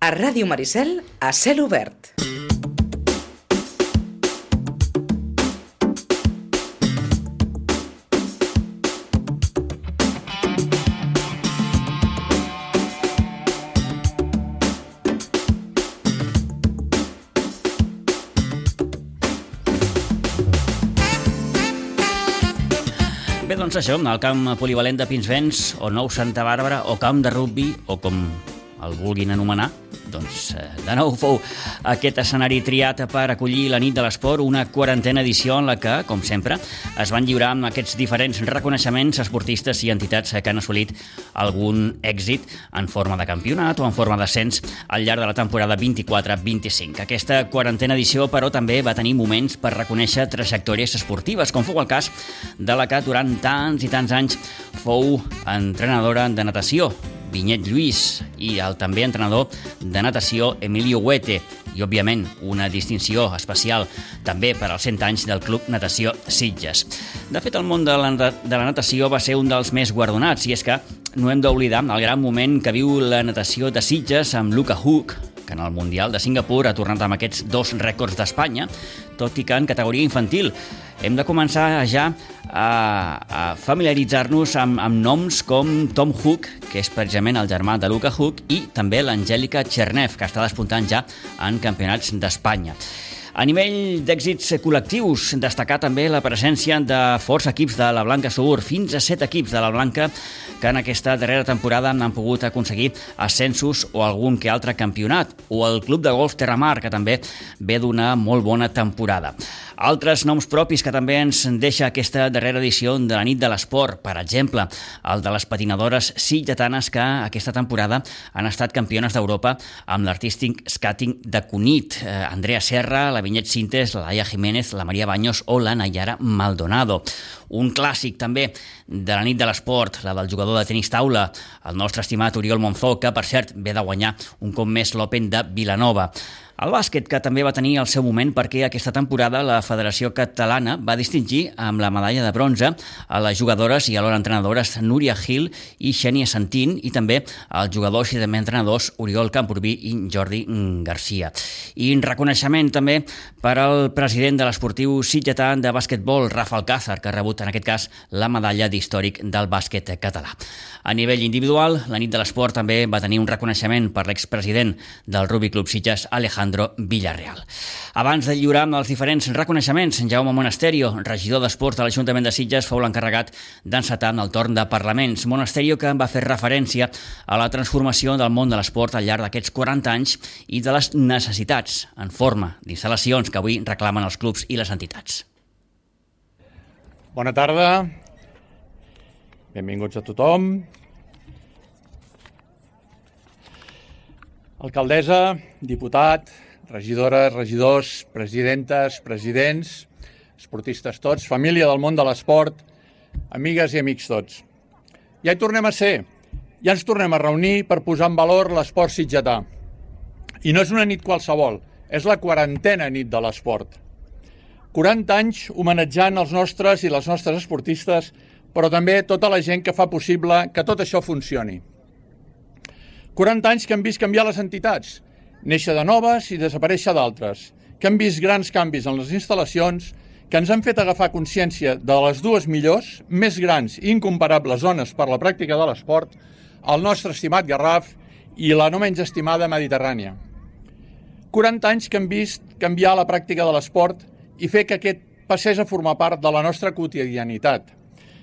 A Ràdio Maricel, a cel obert. Bé, doncs això, el camp polivalent de Pinsbens, o nou Santa Bàrbara, o camp de rugbi, o com el vulguin anomenar, doncs de nou fou aquest escenari triat per acollir la nit de l'esport, una 40a edició en la que, com sempre, es van lliurar amb aquests diferents reconeixements a esportistes i entitats que han assolit algun èxit en forma de campionat o en forma d'ascens al llarg de la temporada 24-25. Aquesta 40a edició, però, també va tenir moments per reconèixer trajectòries esportives, com fou el cas de la que durant tants i tants anys fou entrenadora de natació, Vinyet Lluís, i el també entrenador de natació Emilio Huete, i, òbviament, una distinció especial també per als 100 anys del Club Natació Sitges. De fet, el món de la natació va ser un dels més guardonats, i és que no hem d'oblidar el gran moment que viu la natació de Sitges amb Luca Hug, que en el Mundial de Singapur ha tornat amb aquests 2 rècords d'Espanya, tot i que en categoria infantil. Hem de començar ja a familiaritzar-nos amb noms com Tom Hug, que és precisament el germà de Luca Hug, i també l'Angèlica Chernev, que està despuntant ja en campionats d'Espanya. A nivell d'èxits col·lectius, destacar també la presència de forts equips de la Blanca Sur, fins a 7 equips de la Blanca que en aquesta darrera temporada han pogut aconseguir ascensos o algun que altre campionat, o el Club de Golf Terramar, que també ve d'una molt bona temporada. Altres noms propis que també ens deixa aquesta darrera edició de la nit de l'esport, per exemple, el de les patinadores sitgetanes que aquesta temporada han estat campiones d'Europa amb l'artístic skating de Cunit, Andrea Serra, la Vinyet Sintes, la Laia Jiménez, la Maria Baños o la Nayara Maldonado. Un clàssic també de la nit de l'esport, la del jugador de tenis taula, el nostre estimat Oriol Monzó, que per cert ve de guanyar un cop més l'Open de Vilanova. El bàsquet, que també va tenir el seu moment perquè aquesta temporada la Federació Catalana va distingir amb la medalla de bronze a les jugadores i alhora entrenadores Núria Gil i Xènia Santín, i també als jugadors i també entrenadors Oriol Camprubí i Jordi Garcia. I en reconeixement també per al president de l'esportiu sitgetà de bàsquetbol, Rafa Alcázar, que ha rebut en aquest cas la medalla d'històric del bàsquet català. A nivell individual, la nit de l'esport també va tenir un reconeixement per l'expresident del Rugby Club Sitges, Alejandro Villarreal. Abans de lliurar els diferents reconeixements, Jaume Monasterio, regidor d'Esports de l'Ajuntament de Sitges, fou l'encarregat d'encetar el torn de parlaments. Monasterio, que va fer referència a la transformació del món de l'esport al llarg d'aquests 40 anys i de les necessitats en forma d'instal·lacions que avui reclamen els clubs i les entitats. Bona tarda, benvinguts a tothom. Alcaldessa, diputat, regidores, regidors, presidentes, presidents, esportistes tots, família del món de l'esport, amigues i amics tots. Ja hi tornem a ser, ja ens tornem a reunir per posar en valor l'esport sitgetà. I no és una nit qualsevol, és la 40a nit de l'esport. 40 anys homenatjant els nostres i les nostres esportistes, però també tota la gent que fa possible que tot això funcioni. 40 anys que han vist canviar les entitats, néixer de noves i desaparèixer d'altres, que han vist grans canvis en les instal·lacions, que ens han fet agafar consciència de les 2 millors, més grans i incomparables zones per la pràctica de l'esport, el nostre estimat Garraf i la no menys estimada Mediterrània. 40 anys que han vist canviar la pràctica de l'esport i fer que aquest passés a formar part de la nostra quotidianitat,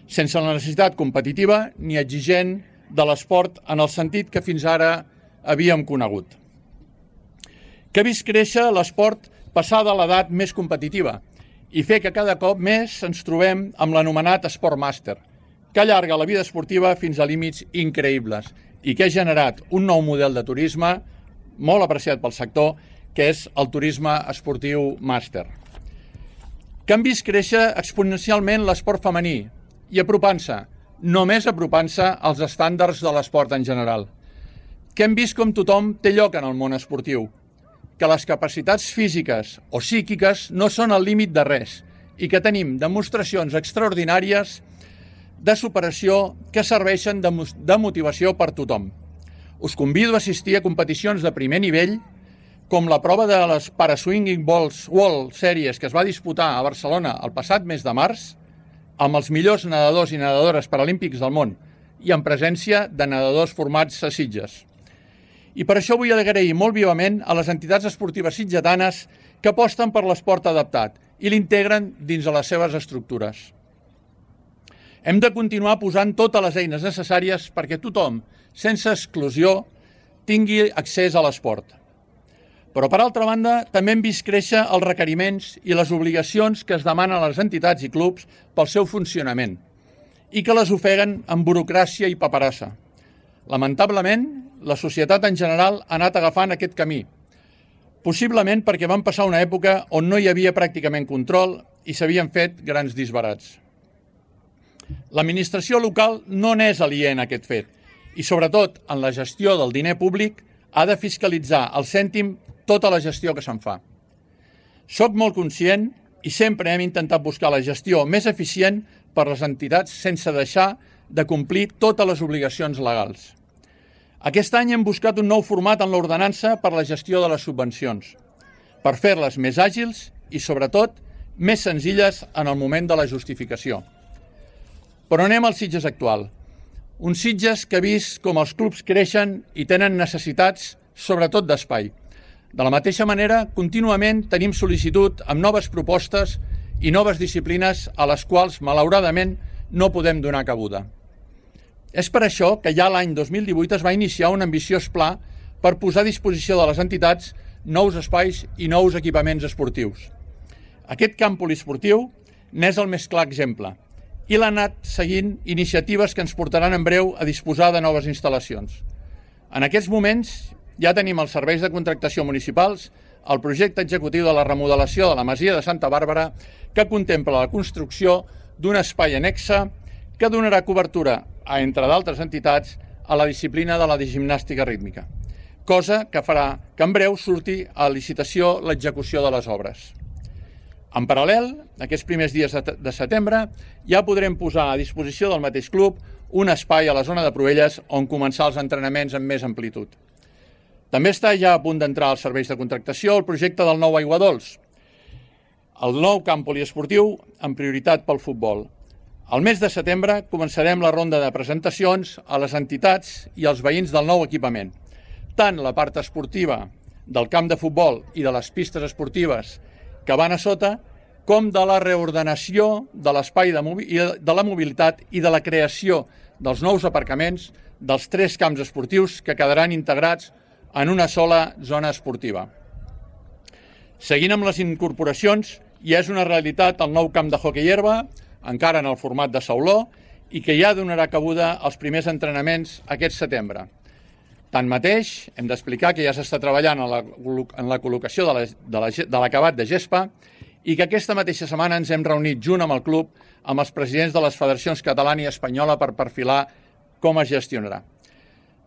sense la necessitat competitiva ni exigent de l'esport en el sentit que fins ara havíem conegut. Que ha vist créixer l'esport passar de l'edat més competitiva i fer que cada cop més ens trobem amb l'anomenat esport màster, que allarga la vida esportiva fins a límits increïbles i que ha generat un nou model de turisme molt apreciat pel sector, que és el turisme esportiu màster. Que han vist créixer exponencialment l'esport femení i apropant-se, només apropant-se als estàndards de l'esport en general. Que hem vist com tothom té lloc en el món esportiu, que les capacitats físiques o psíquiques no són el límit de res i que tenim demostracions extraordinàries de superació que serveixen de motivació per tothom. Us convido a assistir a competicions de primer nivell, com la prova de les Paraswinging World Series que es va disputar a Barcelona el passat mes de març, amb els millors nedadors i nedadores paralímpics del món i en presència de nedadors formats a Sitges. I per això vull agrair molt vivament a les entitats esportives sitgetanes que aposten per l'esport adaptat i l'integren dins de les seves estructures. Hem de continuar posant totes les eines necessàries perquè tothom, sense exclusió, tingui accés a l'esport. Però, per altra banda, també hem vist créixer els requeriments i les obligacions que es demanen a les entitats i clubs pel seu funcionament i que les ofeguen amb burocràcia i paperassa. Lamentablement, la societat en general ha anat agafant aquest camí, possiblement perquè van passar una època on no hi havia pràcticament control i s'havien fet grans disbarats. L'administració local no n'és aliena a aquest fet i, sobretot, en la gestió del diner públic, ha de fiscalitzar al cèntim tota la gestió que se'n fa. Soc molt conscient i sempre hem intentat buscar la gestió més eficient per les entitats sense deixar de complir totes les obligacions legals. Aquest any hem buscat un nou format en l'ordenança per la gestió de les subvencions, per fer-les més àgils i, sobretot, més senzilles en el moment de la justificació. Però anem al Sitges actual. Un Sitges que ha vist com els clubs creixen i tenen necessitats, sobretot d'espai. De la mateixa manera, contínuament tenim sol·licitud amb noves propostes i noves disciplines a les quals, malauradament, no podem donar cabuda. És per això que ja l'any 2018 es va iniciar un ambiciós pla per posar a disposició de les entitats nous espais i nous equipaments esportius. Aquest camp poliesportiu n'és el més clar exemple i l'ha anat seguint iniciatives que ens portaran en breu a disposar de noves instal·lacions. En aquests moments ja tenim els serveis de contractació municipals, el projecte executiu de la remodelació de la Masia de Santa Bàrbara, que contempla la construcció d'un espai annexe que donarà cobertura, entre d'altres entitats, a la disciplina de la gimnàstica rítmica, cosa que farà que en breu surti a licitació l'execució de les obres. En paral·lel, aquests primers dies de setembre, ja podrem posar a disposició del mateix club un espai a la zona de Proelles on començar els entrenaments amb més amplitud. També està ja a punt d'entrar als serveis de contractació el projecte del nou Aiguadols, el nou camp poliesportiu amb prioritat pel futbol. Al mes de setembre començarem la ronda de presentacions a les entitats i als veïns del nou equipament. Tant la part esportiva del camp de futbol i de les pistes esportives que van a sota, com de la reordenació de l'espai de la mobilitat i de la creació dels nous aparcaments dels 3 camps esportius que quedaran integrats en una sola zona esportiva. Seguint amb les incorporacions, ja és una realitat el nou camp de hoquei herba, encara en el format de sauló, i que ja donarà cabuda als primers entrenaments aquest setembre. Tanmateix, hem d'explicar que ja s'està treballant en la col·locació de l'acabat de gespa i que aquesta mateixa setmana ens hem reunit junt amb el club amb els presidents de les federacions catalana i espanyola per perfilar com es gestionarà.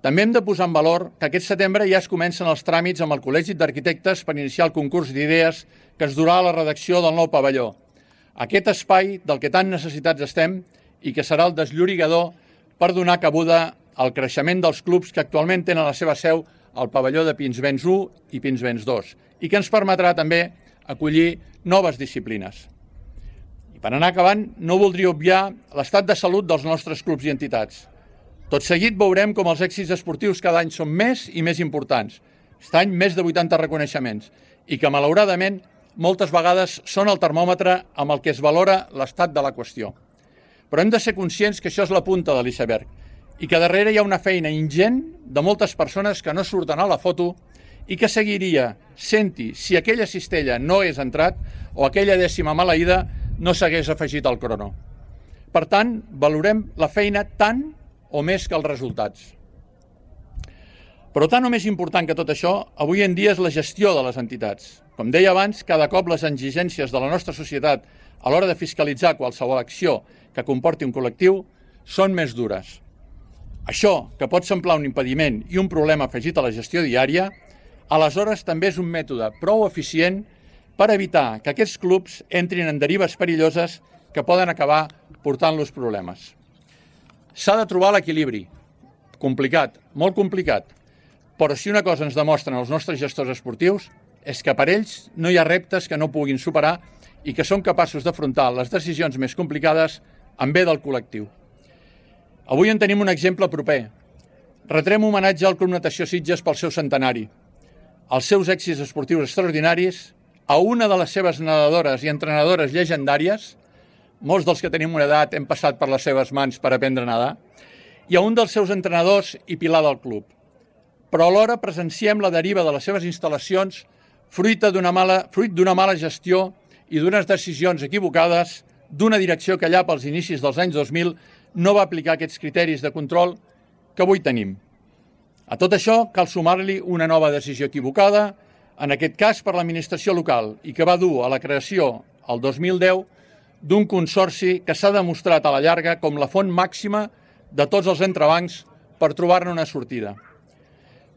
També hem de posar en valor que aquest setembre ja es comencen els tràmits amb el Col·legi d'Arquitectes per iniciar el concurs d'idees que es durà a la redacció del nou pavelló. Aquest espai del que tan necessitats estem i que serà el desllorigador per donar cabuda al creixement dels clubs que actualment tenen la seva seu al pavelló de Pinsbens 1 i Pinsbens 2 i que ens permetrà també acollir noves disciplines. I per anar acabant, no voldria obviar l'estat de salut dels nostres clubs i entitats. Tot seguit veurem com els èxits esportius cada any són més i més importants. Aquest any més de 80 reconeixements i que, malauradament, moltes vegades són el termòmetre amb el que es valora l'estat de la qüestió. Però hem de ser conscients que això és la punta de l'iceberg i que darrere hi ha una feina ingent de moltes persones que no surten a la foto i que seguiria sent-hi si aquella cistella no hagués entrat o aquella dècima maleïda no s'hagués afegit al crono. Per tant, valorem la feina tant o més que els resultats. Però tant o més important que tot això, avui en dia és la gestió de les entitats. Com deia abans, cada cop les exigències de la nostra societat a l'hora de fiscalitzar qualsevol acció que comporti un col·lectiu són més dures. Això, que pot semblar un impediment i un problema afegit a la gestió diària, aleshores també és un mètode prou eficient per evitar que aquests clubs entrin en derives perilloses que poden acabar portant-los problemes. S'ha de trobar l'equilibri. Complicat, molt complicat, Però si una cosa ens demostren els nostres gestors esportius és que per ells no hi ha reptes que no puguin superar i que són capaços d'afrontar les decisions més complicades en bé del col·lectiu. Avui en tenim un exemple proper. Retrem homenatge al Club Natació Sitges pel seu centenari, els seus èxits esportius extraordinaris, a una de les seves nedadores i entrenadores llegendàries, molts dels que tenim una edat hem passat per les seves mans per aprendre a nedar, i a un dels seus entrenadors i pilar del club. Però alhora presenciem la deriva de les seves instal·lacions fruit d'una mala gestió i d'unes decisions equivocades d'una direcció que allà pels inicis dels anys 2000 no va aplicar aquests criteris de control que avui tenim. A tot això cal sumar-li una nova decisió equivocada, en aquest cas per l'administració local, i que va dur a la creació, el 2010, d'un consorci que s'ha demostrat a la llarga com la font màxima de tots els entrebancs per trobar-ne una sortida.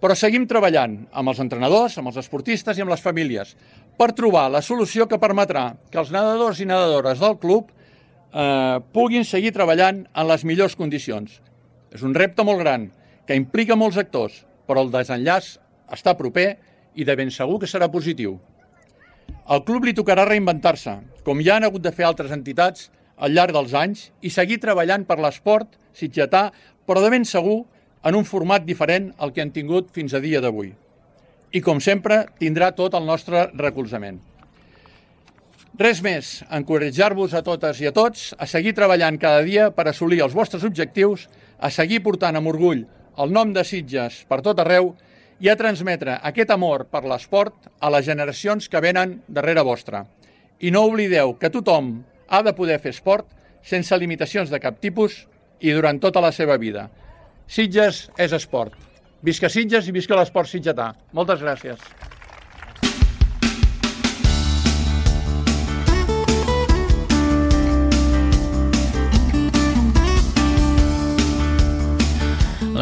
Però seguim treballant amb els entrenadors, amb els esportistes i amb les famílies per trobar la solució que permetrà que els nedadors i nedadores del club puguin seguir treballant en les millors condicions. És un repte molt gran, que implica molts actors, però el desenllaç està proper i de ben segur que serà positiu. Al club li tocarà reinventar-se, com ja han hagut de fer altres entitats al llarg dels anys, i seguir treballant per l'esport sitgetà, però de ben segur en un format diferent al que han tingut fins a dia d'avui. I, com sempre, tindrà tot el nostre recolzament. Res més, encoratjar-vos a totes i a tots a seguir treballant cada dia per assolir els vostres objectius, a seguir portant amb orgull el nom de Sitges per tot arreu i a transmetre aquest amor per l'esport a les generacions que venen darrere vostra. I no oblideu que tothom ha de poder fer esport sense limitacions de cap tipus i durant tota la seva vida. Sitges és esport. Visca Sitges i visca l'esport sitgetà. Moltes gràcies.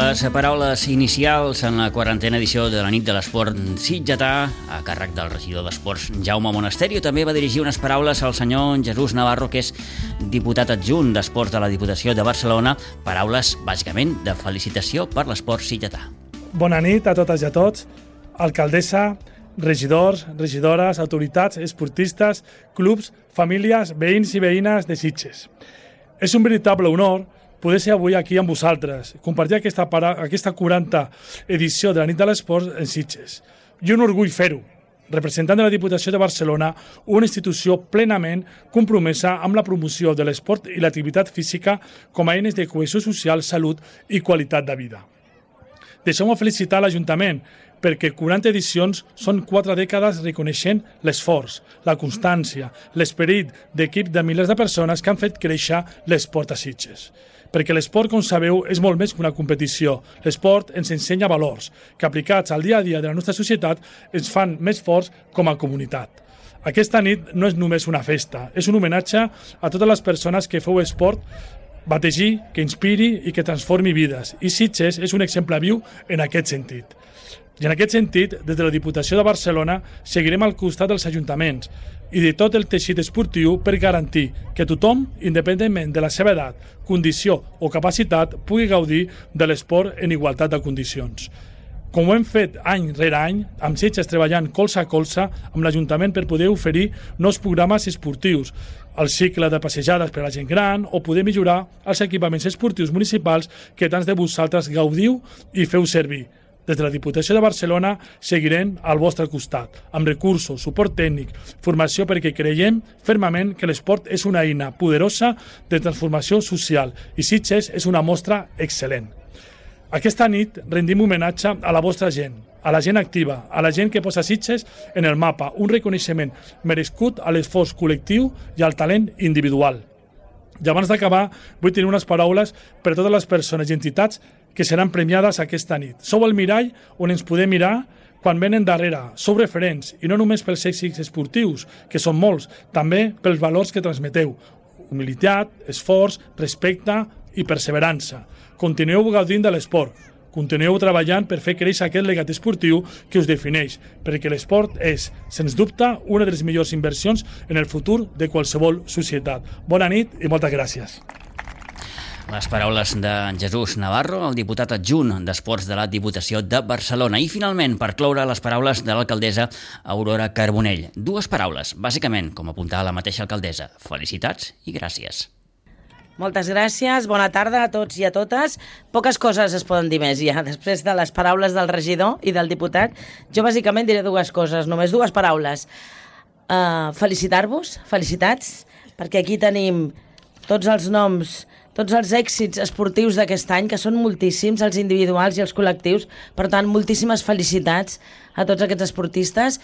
Les paraules inicials en la 40a edició de la nit de l'esport sitgetà, a càrrec del regidor d'Esports Jaume Monasterio, també va dirigir unes paraules al senyor Jesús Navarro, que és diputat adjunt d'Esports de la Diputació de Barcelona, paraules bàsicament de felicitació per l'esport sitgetà. Bona nit a totes i a tots, alcaldessa, regidors, regidores, autoritats, esportistes, clubs, famílies, veïns i veïnes de Sitges. És un veritable honor poder ser avui aquí amb vosaltres, compartir aquesta 40a edició de la nit de l'esport en Sitges. I un orgull fer-ho, representant de la Diputació de Barcelona, una institució plenament compromesa amb la promoció de l'esport i l'activitat física com a eines de cohesió social, salut i qualitat de vida. Deixeu-me felicitar l'Ajuntament, perquè 40 edicions són 4 dècades reconeixent l'esforç, la constància, l'esperit d'equip de milers de persones que han fet créixer l'esport a Sitges. Perquè l'esport, com sabeu, és molt més que una competició. L'esport ens ensenya valors que, aplicats al dia a dia de la nostra societat, ens fan més forts com a comunitat. Aquesta nit no és només una festa, és un homenatge a totes les persones que feu esport, bategir, que inspiri i que transformi vides. I Sitges és un exemple viu en aquest sentit. I en aquest sentit, des de la Diputació de Barcelona, seguirem al costat dels ajuntaments i de tot el teixit esportiu per garantir que tothom, independentment de la seva edat, condició o capacitat, pugui gaudir de l'esport en igualtat de condicions. Com ho hem fet any rere any, amb Sitges treballant colze a colze amb l'Ajuntament per poder oferir nous programes esportius, el cicle de passejades per a la gent gran o poder millorar els equipaments esportius municipals que tants de vosaltres gaudiu i feu servir. Des de la Diputació de Barcelona seguirem al vostre costat, amb recursos, suport tècnic, formació, perquè creiem fermament que l'esport és una eina poderosa de transformació social i Sitges és una mostra excel·lent. Aquesta nit rendim homenatge a la vostra gent, a la gent activa, a la gent que posa Sitges en el mapa, un reconeixement merescut a l'esforç col·lectiu i al talent individual. I abans d'acabar, vull tenir unes paraules per a totes les persones i entitats que seran premiades aquesta nit. Sou el mirall on ens podem mirar quan venen darrere. Sou referents, i no només pels èxits esportius, que són molts, també pels valors que transmeteu. Humilitat, esforç, respecte i perseverança. Continueu gaudint de l'esport. Continueu treballant per fer créixer aquest legat esportiu que us defineix, perquè l'esport és, sens dubte, una de les millors inversions en el futur de qualsevol societat. Bona nit i moltes gràcies. Les paraules de Jesús Navarro, el diputat adjunt d'Esports de la Diputació de Barcelona. I finalment, per cloure, les paraules de l'alcaldessa Aurora Carbonell. Dues paraules, bàsicament, com apuntava la mateixa alcaldessa. Felicitats i gràcies. Moltes gràcies, bona tarda a tots i a totes. Poques coses es poden dir més ja, després de les paraules del regidor i del diputat. Jo bàsicament diré dues coses, només dues paraules. Felicitar-vos, felicitats, perquè aquí tenim tots els noms, tots els èxits esportius d'aquest any, que són moltíssims, els individuals i els col·lectius. Per tant, moltíssimes felicitats a tots aquests esportistes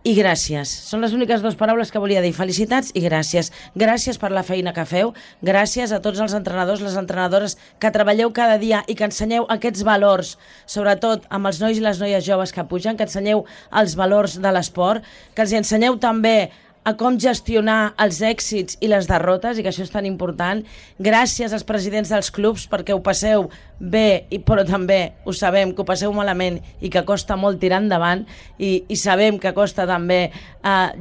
i gràcies. Són les úniques dues paraules que volia dir. Felicitats i gràcies. Gràcies per la feina que feu. Gràcies a tots els entrenadors, les entrenadores que treballeu cada dia i que ensenyeu aquests valors, sobretot amb els nois i les noies joves que pugen, que ensenyeu els valors de l'esport, que els ensenyeu també a com gestionar els èxits i les derrotes, i que això és tan important. Gràcies als presidents dels clubs perquè ho passeu bé, però també ho sabem que ho passeu malament i que costa molt tirar endavant, i sabem que costa també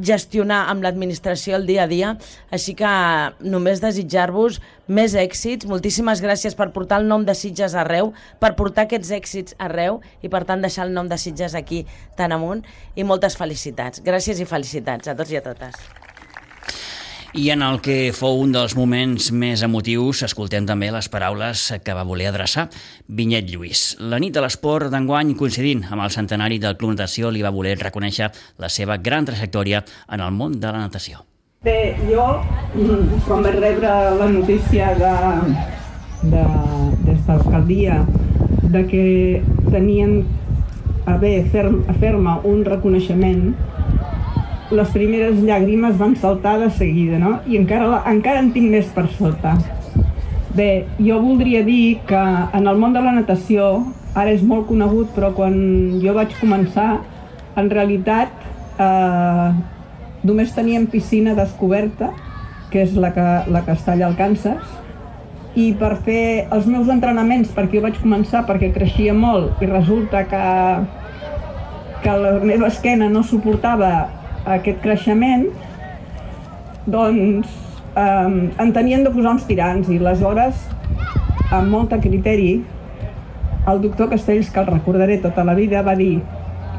gestionar amb l'administració el dia a dia. Així que només desitjar-vos més èxits. Moltíssimes gràcies per portar el nom de Sitges arreu, per portar aquests èxits arreu i per tant deixar el nom de Sitges aquí tan amunt, i moltes felicitats. Gràcies i felicitats a tots i a totes. I en el que fou un dels moments més emotius, escoltem també les paraules que va voler adreçar Vinyet Lluís. La nit de l'esport d'enguany, coincidint amb el centenari del Club Natació, li va voler reconèixer la seva gran trajectòria en el món de la natació. Bé, jo, quan vaig rebre la notícia des de l'alcaldia de que tenien a bé fer-me un reconeixement, les primeres llàgrimes van saltar de seguida, no? I encara en tinc més per sota. Bé, jo voldria dir que en el món de la natació, ara és molt conegut, però quan jo vaig començar, en realitat només teníem piscina descoberta, que és la que està allà al Kansas, i per fer els meus entrenaments, perquè jo vaig començar perquè creixia molt i resulta que la meva esquena no suportava aquest creixement, doncs en tenien de posar uns tirants, i aleshores, amb molt de criteri, el doctor Castells, que el recordaré tota la vida, va dir: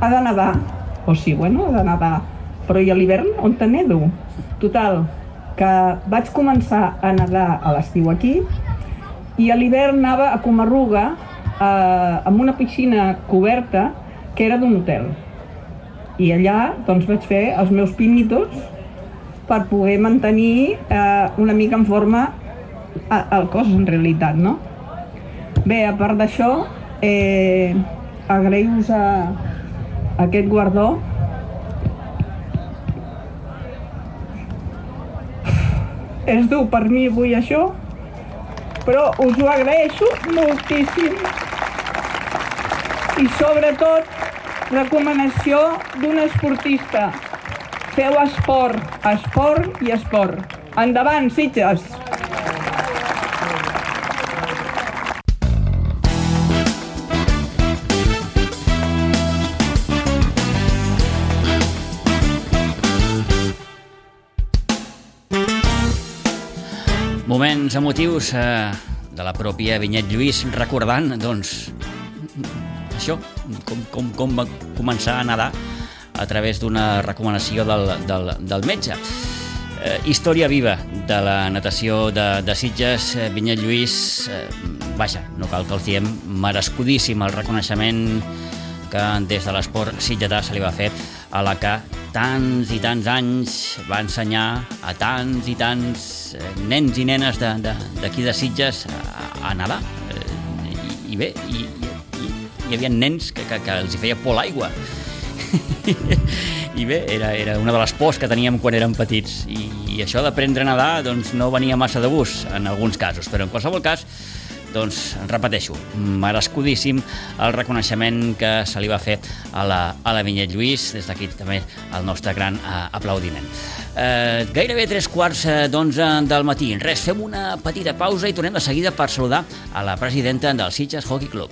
ha de nedar. O sí, bueno, ha de nedar. Però i a l'hivern on te nedo? Total, que vaig començar a nedar a l'estiu aquí, i a l'hivern anava a Comarruga amb una piscina coberta que era d'un hotel. I allà doncs, vaig fer els meus pinitos per poder mantenir una mica en forma el cos, en realitat, no? Bé, a part d'això, agrair-vos aquest guardó. És dur per mi avui això, però us ho agraeixo moltíssim. I sobretot, recomanació d'un esportista: feu esport, esport i esport. Endavant, Sitges! Moments emotius de la pròpia Vinyet Lluís, recordant, doncs, això, com va començar a nedar a través d'una recomanació del metge. Història viva de la natació de Sitges. Vinyet Lluís, vaja, no cal que el diem, merescudíssim el reconeixement que des de l'esport sitgetà se li va fer a la que tants i tants anys va ensenyar a tants i tants nens i nenes d'aquí de Sitges a nedar. I bé, hi havia nens que els hi feia por l'aigua. I bé, era una de les pors que teníem quan érem petits. I això d'aprendre a nedar doncs, no venia massa de gust en alguns casos, però en qualsevol cas, doncs, repeteixo, merescudíssim el reconeixement que se li va fer a la Vinyet Lluís. Des d'aquí també el nostre gran aplaudiment. Gairebé 3:15 del matí. Res, fem una petita pausa i tornem de seguida per saludar a la presidenta del Sitges Hockey Club.